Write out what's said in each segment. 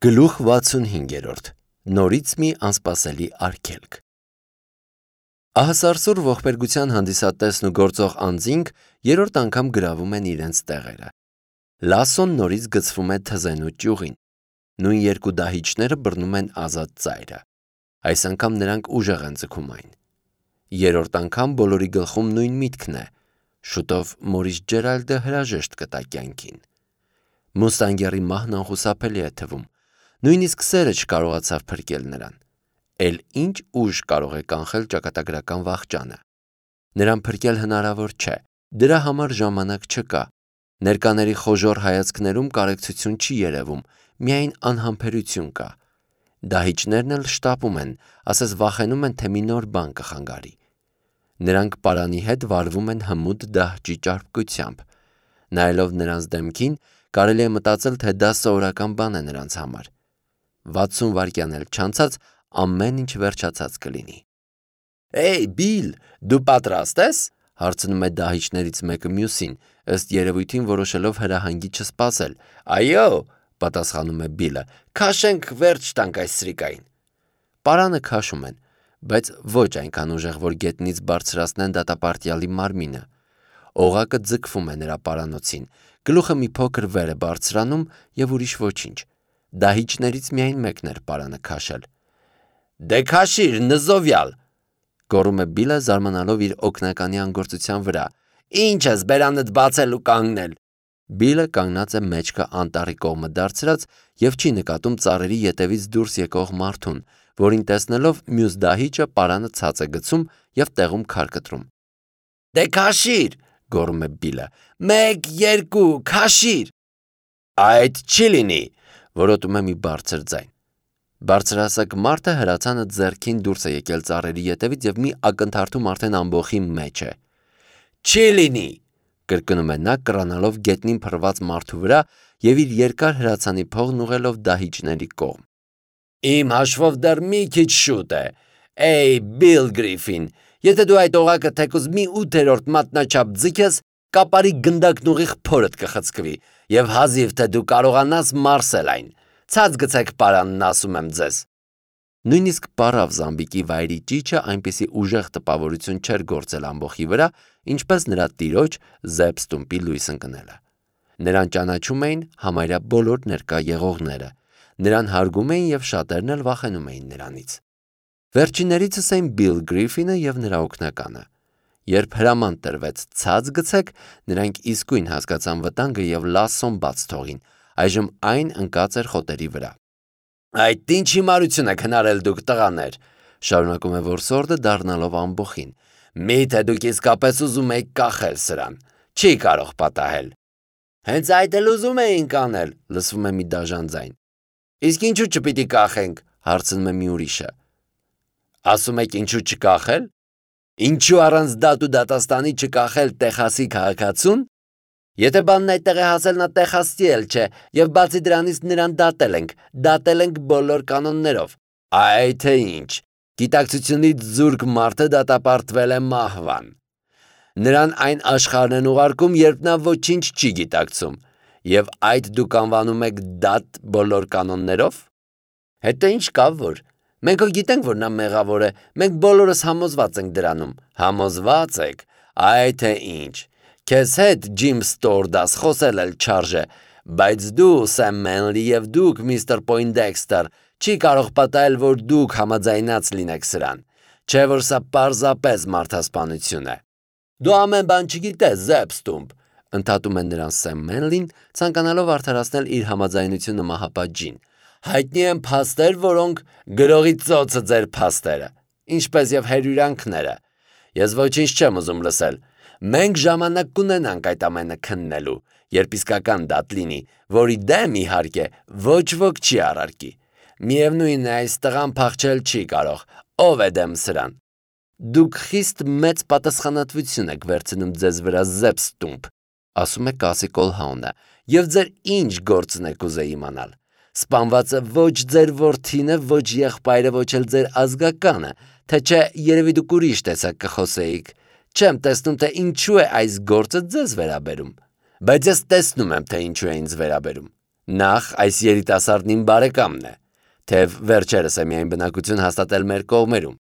Գլուխ 65 Նորից մի անսպասելի արգելք Ահասարսուռ ողբերգության հանդիսատեսն ու գործող անձինք երրորդ անգամ գրավում են իրենց տեղերը։ Լասոն նորից գցվում է թզենու ճյուղին։ Նույն երկու դահիճները բռնում են ազատ ծայրը։ Այս անգամ նրանք ուժեղ են ձգում այն։ Երրորդ անգամ բոլորի գլխում նույն միտքն է. շուտով Մորիս Ջերալդը հրաժեշտ կտա կյանքին։ Մուստանգերի մահն անխուսափելի է թվում։ Նույնիսկ սերը չկարողացավ փրկել նրան։ Էլ ինչ ուժ կարող է կանխել ճակատագրական վախճանը։ Նրան փրկել հնարավոր չէ, դրա համար ժամանակ չկա։ Ներկաների խոժոռ հայացքներում կարեկցություն չի երևում, միայն անհամբերություն կա։ Դահիճներն էլ շտապում են, ասես վախենում են, թե մի նոր բան կխանգարի։ Նրանք պարանի հետ վարվում են հմուտ դահճի ճարպկությամբ։ Նայելով նրանց դեմքին, կարելի է մտածել, թե դա սովորական բան է նրանց համար։ 60 վայրկյան էլ չանցած ամեն ինչ վերջացած կլինի։ «Էй, Բիլ, դու պատրաստ ես?» հարցնում է դահիճներից մեկը մյուսին, ըստ երևույթին որոշելով հրահանգի չսպասել։ «Այո», պատասխանում է Բիլը, «քաշենք վերջ տանք այս սրիկային»։ Պարանը քաշում են, բայց ոչ այնքան ուժեղ, որ գետնից բարձրացնեն դատապարտյալի մարմինը։ Օղակը ձգվում է նրա պարանոցին, գլուխը մի փոքր վեր է բարձրանում և ուրիշ ոչինչ։ Դահիճներից միայն մեկն էր պարանը քաշել։ «Դե քաշիր, նզովյալ», գոռում է Բիլը, զարմանալով իր օգնականի անգործության վրա։ «Ինչ ես բերանդ բացել ու կանգնել»։ Բիլը կանգնած է մեջքը անտառի կողմը դարձրած և չի նկատում ծառերի ետևից դուրս եկող մարդուն, որին տեսնելով մյուս դահիճը պարանը ցած է գցում և տեղում քար կտրում։ «Դե քաշիր», գոռում է Բիլը, «1, 2, քաշիր»։ «Այդ չի լինի», որոտում է մի բարձր ձայն։ Բարձրահասակ մարդը հրացանը ձեռքին դուրս է եկել ծառերի ետևից և մի ակնթարթում արդեն ամբոխի մեջ է։ «Չի լինի», կրկնում է նա, կռանալով գետնին փռված մարդու վրա և իր երկար հրացանի փողն ուղղելով դահիճների կողմ։ «Իմ հաշվով դեռ մի քիչ շուտ է։ Էй, Բիլ Գրիֆին, եթե դու այդ օղակը թեկուզ մի 8-րդ մատնաչափ ձգես, կապարի գնդակն ուղիղ փորդ կխցկվի և հազիվ թե դու կարողանաս մարսել այն։ Ցած գցեք պարանն, ասում եմ ձեզ»։ Նույնիսկ պառավ Զամբիկի վայրի ճիչը այնպիսի ուժեղ տպավորություն չէր գործել ամբոխի վրա, ինչպես նրա տիրոջ Զեբ Ստումպի լույս ընկնելը։ Նրան ճանաչում էին համարյա բոլոր ներկա եղողները։ Նրան հարգում էին և շատերն էլ վախենում էին նրանից։ Վերջիններիցս էին Բիլ Գրիֆինը և նրա օգնականը։ Երբ հրաման տրվեց ցած գցեք, նրանք իսկույն հասկացան վտանգը և լասոն բաց թողին, այժմ այն ընկած էր խոտերի վրա։ «Այդ ինչ հիմարություն եք հնարել դուք, տղաներ», շարունակում է որսորդը դառնալով ամբոխին։ «Միթե դուք իսկապես ուզում եք կախել սրան։ Չի կարող պատահել»։ «Հենց այդ էլ ուզում էինք անել», լսվում է մի դաժան ձայն։ «Իսկ ինչու չպիտի կախենք», հարցնում է մի ուրիշը։ «Ասում եք ինչու չկախել։ Ինչու առանց դատ ու դատաստանի չկախել Տեխասի քաղաքացուն։ Եթե բանն այդտեղ է հասել, նա տեխասցի էլ չէ, և բացի դրանից նրան դատել ենք բոլոր կանոններով։ Այ թե ինչ, գիտակցությունից զուրկ մարդը դատապարտվել է մահվան։ Նրան այն աշխարհն են ուղարկում, երբ նա ոչինչ չի գիտակցում, և այդ դուք անվանում եք դատ բոլոր կանոններով։ Հետո ինչ կա որ։ Մենք հո գիտենք, որ նա մեղավոր է, մենք բոլորս համոզված ենք դրանում։ Համոզված եք։ Այ թե ինչ։ Քեզ հետ, Ջիմ Ստորդաս, խոսել էլ չարժե, բայց դու, Սեմ Մենլի, և դուք, միստր Պոյնդեքստեր, չի կարող պատահել, որ դուք համաձայնած լինեք սրան։ Չէ՞ որ սա պարզապես մարդասպանություն է։ Դու ամեն բան չգիտես, Զեբ Ստումպ, ընդհատում է նրան Սեմ Մենլին, ցանկանալով արդարացնել իր համաձայնությունը մահապատժին։ Հայտնի են փաստեր, որոնք գրողի ծոցը ձեր փաստերը, ինչպես և հերյուրանքները։ Ես ոչինչ չեմ ուզում լսել։ Մենք ժամանակ կունենանք այդ ամենը քննելու, երբ իսկական դատ լինի, որի դեմ, իհարկե, ոչ ոք չի առարկի։ Միևնույն է, այս տղան փախչել չի կարող։ Ով է դեմ սրան։ Դուք խիստ մեծ պատասխանատվություն եք վերցնում ձեզ վրա, Զեբ Ստումպ, ասում է Կասի Կոլհաունը, և ձեր ինչ գործն եք ուզեի իմանալ։ Սպանվածը ոչ ձեր որդին է, ոչ եղբայրը, ոչ էլ ձեր ազգականը, թե չէ երևի դուք ուրիշ տեսակ կխոսեիք։ Չեմ տեսնում, թե ինչու է այս գործը ձեզ վերաբերում։ Բայց ես տեսնում եմ, թե ինչու է ինձ վերաբերում։ Նախ այս երիտասարդն իմ բարեկամն է, թեև վերջերս է միայն բնակություն հաստատել մեր կողմերում։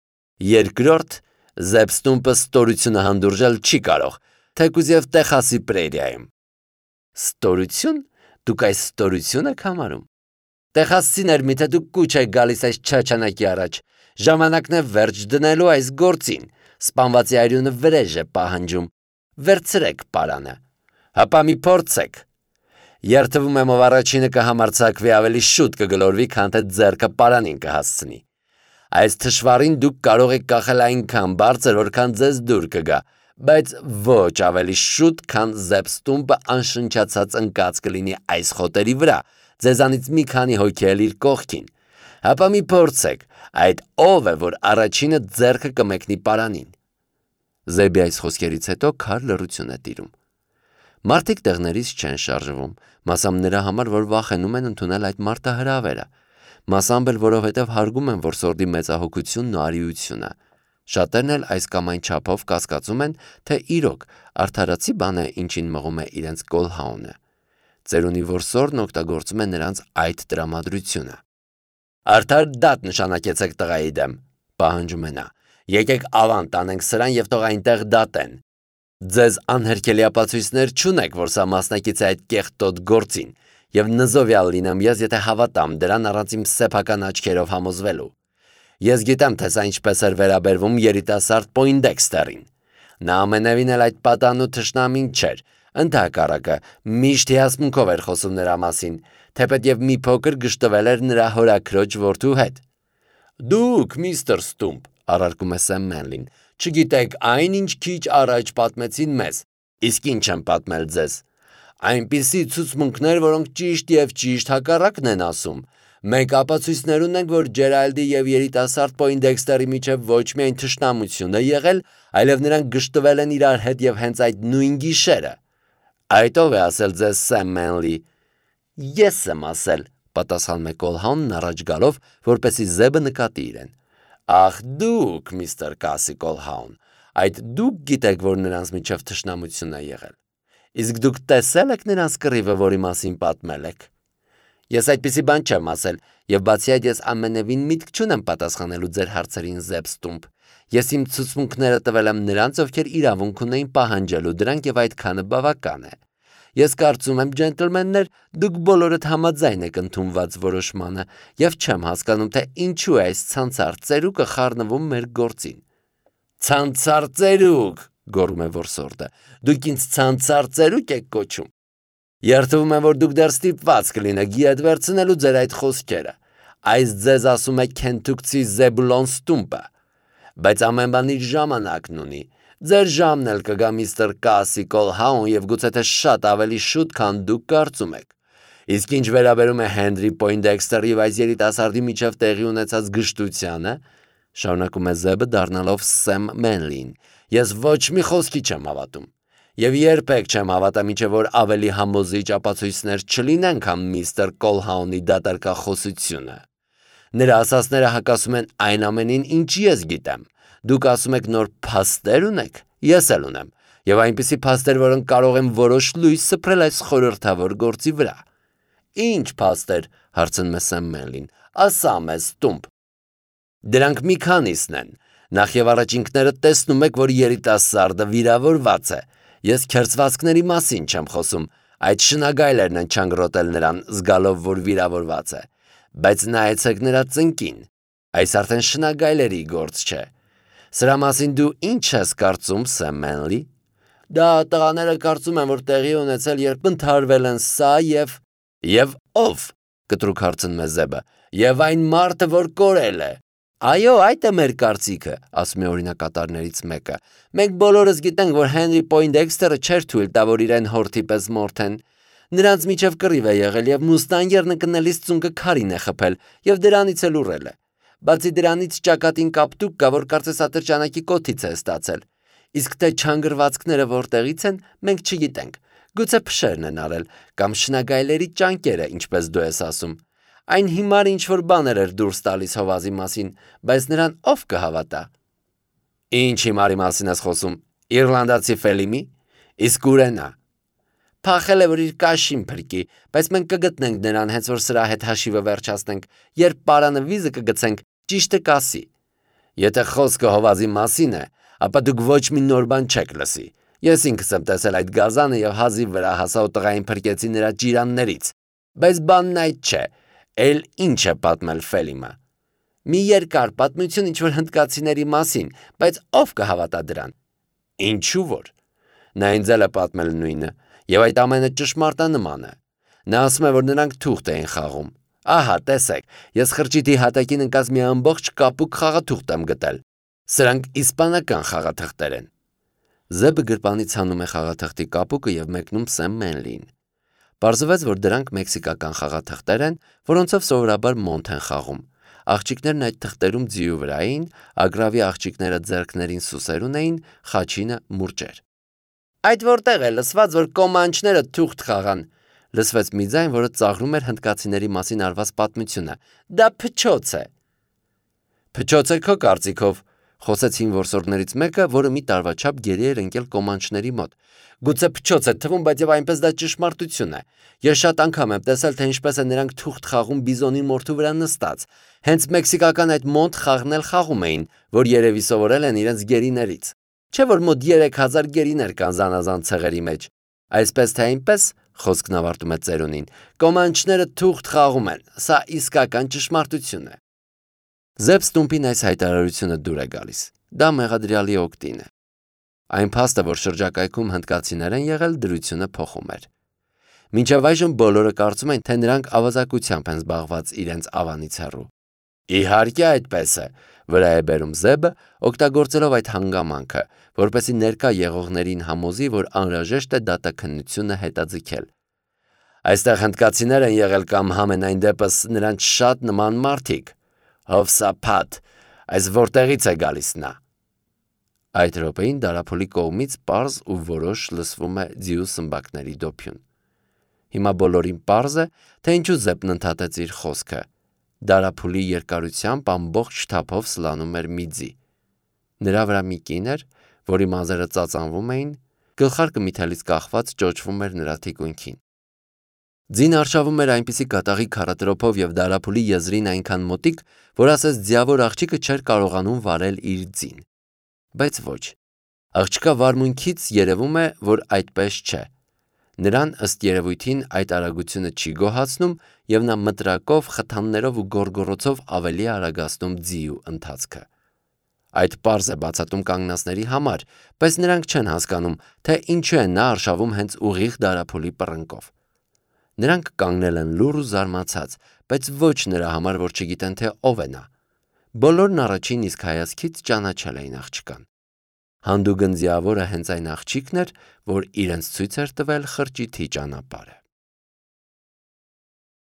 Երկրորդ, Զեբստումպը ստորությունը հանդուրժել չի կարող, թեկուզ և Տեխասի պրերիայում։ Ստորություն։ Դուք այս ստորություն եք համարում։ Տեխասցիներ, միթե դուք կուչ եք գալիս այս չաչանակի առաջ։ Ժամանակն է վերջ դնելու այս գործին։ Սպանվածի արյունը վրեժ է պահանջում։ Վերցրեք պարանը։ Հապա մի փորձեք։ Երթվում եմ, ով առաջինը կհամարձակվի ավելի շուտ կգլորվի, քան թե ձեռքը պարանին կհասցնի։ Այս թշվառին դուք կարող եք կախել այնքան բարձր, որքան ձեզ դուր կգա, բայց ոչ ավելի շուտ, քան Զեբստումպը անշնչացած ընկած կլինի այս խոտերի վրա, ձեզանից մի քանի հոգի էլ իր կողքին։ Հապա մի փորձեք, այդ ով է, որ առաջինը ձեռքը կմեկնի պարանին։ Զեբի այս խոսքերից հետո քար լռություն է տիրում։ Մարդիկ տեղներից չեն շարժվում, մասամբ նրա համար, որ վախենում են ընդունել այդ մարտահրավերը, մասամբ էլ որովհետև հարգում են որսորդի մեծահոգությունն ու արիությունը։ Շատերն էլ այս կամ այն չափով կասկածում են, թե իրոք արդարացի բան է, ինչին մղում է իրենց Կոլհաունը։ Ծերունի որսորդն օգտագործում է նրանց այդ տրամադրությունը։ Արդար դատ նշանակեցեք տղայի դեմ, պահանջում է նա։ Եկեք ավան տանենք սրան և թող այնտեղ դատեն։ Ձեզ անհերքելի ապացույցներ չունեք, որ սա մասնակից է այդ կեղտոտ գործին, և նզովյալ լինեմ ես, եթե հավատամ դրան առանց իմ սեփական աչքերով համոզվելու։ Ես գիտեմ, թե սա ինչպես էր վերաբերվում երիտասարդ Պոյնդեքստերին։ Նա ամենևին էլ այդ պատանու թշնամին չէր, ընդհակառակը միշտ հիասմունքով էր խոսում նրա մասին, թեպետև մի փոքր գժտվել էր նրա հորաքրոջ որդու հետ։ Դուք, միստր Ստումպ, առարկում է Սեմ Մենլին, չգիտեք այն, ինչ քիչ առաջ պատմեցին մեզ, իսկ ինչ եմ պատմել ձեզ։ Այնպիսի ցուցմունքներ, որոնք ճիշտ և ճիշտ հակառակն են ասում։ Մենք ապացույցներ ունենք, որ Ջերալդի և երիտասարդ Պոյնդեքստերի միջև ոչ միայն թշնամություն է եղել, այլև նրանք գժտվել են իրար հետ և հենց այդ նույն գիշերը։ Այդ ով է ասել ձեզ, Սեմ Մենլի։ Ես եմ ասել, պատասխանում է Կոլհաունն առաջ գալով, որպեսզի Զեբը նկատի իրեն։ Ախ դուք, միստր Կասի Կոլհաուն, այդ դուք գիտեք, որ նրանց միջև թշնամություն է եղել։ Իսկ դուք տեսել եք նրանց կռիվը, որի մասին պատմել եք։ Ես այդպիսի բան չեմ ասել, և բացի այդ ես ամենևին միտք չունեմ պատասխանելու ձեր հարցերին, Զեբստումպ։ Ես իմ ցուցմունքները տվել եմ նրանց, ովքեր իրավունք ունեին պահանջելու դրանք, և այդքանը բավական է։ Ես կարծում եմ, ջենտլմեններ, դուք բոլորդ համաձայն եք ընդունված որոշմանը, և չեմ հասկանում, թե ինչու է այս ցանցառ ծերուկը խառնվում մեր գործին։ Ցանցառ ծերուկ, գոռում է որսորդը, դուք ինձ ցանցառ ծերուկ եք կոչում։ Երդվում եմ, որ դուք դեռ ստիպված կլինեք ետ վերցնելու ձեր այդ խոսքերը։ Այս ձեզ ասում է քենթուկցի Զեբուլոն Ստումպը։ Բայց ամեն բան իր ժամանակն ունի։ Ձեր ժամն էլ կգա, միստր Կասի Կոլհաուն, և գուցե թե շատ ավելի շուտ, քան դուք կարծում եք։ Իսկ ինչ վերաբերում է Հենրի Պոյնդեքստերի և այս երիտասարդի միջև տեղի ունեցած գժտությանը, շարունակում է Զեբը դառնալով Սեմ Մենլին, ես ոչ մի խոսքի չեմ հավատում։ Եվ երբեք չեմ հավատա, մինչև որ ավելի համոզիչ ապացույցներ չլինեն, քան միստր Կոլհաունի դատարկախոսությունը։ Նրա ասածները հակասում են այն ամենին, ինչ ես գիտեմ։ Դուք ասում եք նոր փաստեր ունեք, ես էլ ունեմ, և այնպիսի փաստեր, որոնք կարող են որոշ լույս սփռել այս խորհրդավոր գործի վրա։ Ինչ փաստեր, հարցնում է Սեմ Մենլին, ասա մեզ, Ստումպ։ Դրանք մի քանիսն են։ Նախ և առաջ ինքներդ տեսնում եք, որ երիտասարդը վիրավորված է։ Ես քերծվածքների մասին չեմ խոսում, այդ շնագայլերն են չանգրոտել նրան, զգալով, որ վիրավորված է։ Բայց նայեցեք նրա ծնկին։ Այս արդեն շնագայլերի գործ չէ։ Սրա մասին դու ինչ ես կարծում, Սեմ Մենլի։ Դա տղաները կարծում են, որ տեղի ունեցել, երբ ընդհարվել են սա և ով, կտրուկ հարցնում է Զեբը, և այն մարդը, որ կորել է։ Այո, այդ է մեր կարծիքը, ասում է օրինակատարներից մեկը։ Մենք բոլորս գիտենք, որ Հենրի Պոյնդեքստերը չէր թույլ տա, որ իրեն հորթի պես մորթեն։ Նրանց միջև կռիվ է եղել, և մուստանգերն ընկնելիս ծունկը քարին է խփել, և դրանից էլ ուռել է։ Բացի դրանից ճակատին կապտուկ կա, որ կարծես ատրճանակի կոթից է ստացել։ Իսկ թե չանգրվածքները որտեղից են, մենք չգիտենք։ Գուցե փշերն են արել, կամ շնագայլերի ճանկերը, ինչպես դու ես ասում։ Այն հիմար ինչ-որ բաներ էր դուրս տալիս հովազի մասին, բայց նրան ով կհավատա։ Ինչ հիմարի մասին ես խոսում, իռլանդացի Ֆելիմի, իսկ ուր է նա։ փախել է, որ իր կաշին փրկի, բայց մենք կգտնենք նրան, հենց որ սրա հետ հաշիվը վերջացնենք, երբ պարանը վիզը կգցենք, ճիշտը կասի։ Եթե խոսքը հովազի մասին է, ապա դուք ոչ մի նոր բան չեք լսի։ Ես ինքս եմ տեսել այդ գազանը եւ հազիվ վրա հասա ու տղային փրկեցի նրա ջիրաններից։ Բայց բանն այդ չէ, էլ ինչ է պատմել Ֆելիմը։ Մի երկար պատմություն ինչ-որ հնդկացիների մասին, բայց ով կհավատա դրան։ Ինչու որ։ Նա ինձ էլ է պատմել նույնը, եւ այդ ամենը ճշմարտանման է։ Նա ասում է, որ նրանք թուղթ էին խաղում։ Ահա, տեսեք, ես խրճիթի հատակին ընկած մի ամբողջ կապուկ խաղաթուղթ եմ գտել։ Սրանք իսպանական խաղաթղթեր են։ Զեբը գրպանից հանում է խաղաթղթի կապուկը եւ մեկնում Սեմ Մենլին։ Պարզվեց, որ դրանք մեքսիկական խաղաթղթեր են, որոնցով սովորաբար մոնտ են խաղում։ Աղջիկներն այդ թղթերում ձիու վրա էին, ագրավի աղջիկները ձեռքներին սուսերուն էին, խաչինը մուրճեր։ Այդ որտեղ է լսված, որ կոմանչները թուղթ խաղան, լսվեց մի ձայն, որը ծաղրում էր հնդկացիների մասին արված պատմությունը։ Դա փչոց է։ Փչոց է քո կարծիքով, խոսեց հին որսորդներից մեկը, որը մի տարվա չափ գերի էր ընկել կոմանչների մոտ։ Գուցե փչոց է թվում, բայց եւ այնպես դա ճշմարտություն է։ Ես շատ անգամ եմ տեսել, թե ինչպես է նրանք թուղթ խաղում բիզոնի մորթու վրա նստած։ Հենց մեքսիկական այդ մոնտ խաղն էլ խաղում էին, որ երևի սովորել են իրենց գերիներից։ Չէ՞ որ մոտ 3000 գերիներ կան զանազան ցեղերի մեջ։ Այսպես թե այնպես, խոսքն ավարտում է ծերունին, կոմանչները թուղթ խաղում են։ Սա իսկական ճշմարտություն է։ Զեբ Ստումպին այս հայտարարությունը դուր է գալիս։ Դա մեղադրյալի օգտին է։ Այն փաստը, որ շրջակայքում հնդկացիներ են եղել, դրությունը փոխում էր։ Մինչև այժմ բոլորը կարծում են, թե նրանք ավազակությամբ են զբաղված իրենց ավանից հեռու։ Իհարկե այդպես է, վրա է բերում Զեբը, օգտագործելով այդ հանգամանքը, որպեսզի ներկա եղողներին համոզի, որ անհրաժեշտ է դատաքննությունը հետաձգել։ Այստեղ հնդկացիներ են եղել կամ համենայն դեպս նրանց շատ նման մարդիկ։ Հովսափաթ, այս որտեղից է գալիս նա։ Այդ րոպեին դարափոլի կողմից պարզ ու որոշ լսվում է ձիու սմբակների դոփյուն։ Հիմա բոլորին պարզ է, թե ինչու Զեբն ընդհատեց իր խոսքը։ Դարափոլի երկարությամբ ամբողջ թափով սլանում էր մի ձի։ Նրա վրա մի կին էր, որի մազերը ծածանվում էին, գլխարկը մի թելից կախված ճոճվում էր նրա թիկունքին։ Ձին արշավում էր այնպիսի կատաղի քարատրոփով եւ դարափոլի եզրին այնքան մոտիկ, որ ասես ձիավոր աղջիկը չէր կարողանում վարել իր ձին։ Բայց ոչ։ Աղջկա վարմունքից երևում է, որ այդպես չէ։ Նրան ըստ երևույթին այդ արագությունը չի գոհացնում եւ նա մտրակով, խթաններով ու գոռգոռոցով ավելի արագացնում ձիու ընթացքը։ Այդ պարզ է բացատում կանգնածների համար, բայց նրանք չեն հասկանում, թե ինչու է նա արշավում հենց ուղիղ դարափոլի պռնկով։ Նրանք կանգնել են լուռ ու զարմացած, բայց ոչ նրա համար, որ չգիտեն, թե ով է նա։ Բոլորն առաջին իսկ հայացքից ճանաչել էին աղջկան։ Հանդուգն ձիավորը հենց այն աղջիկն էր, որ իրենց ցույց էր տվել խրճիթի ճանապարհը։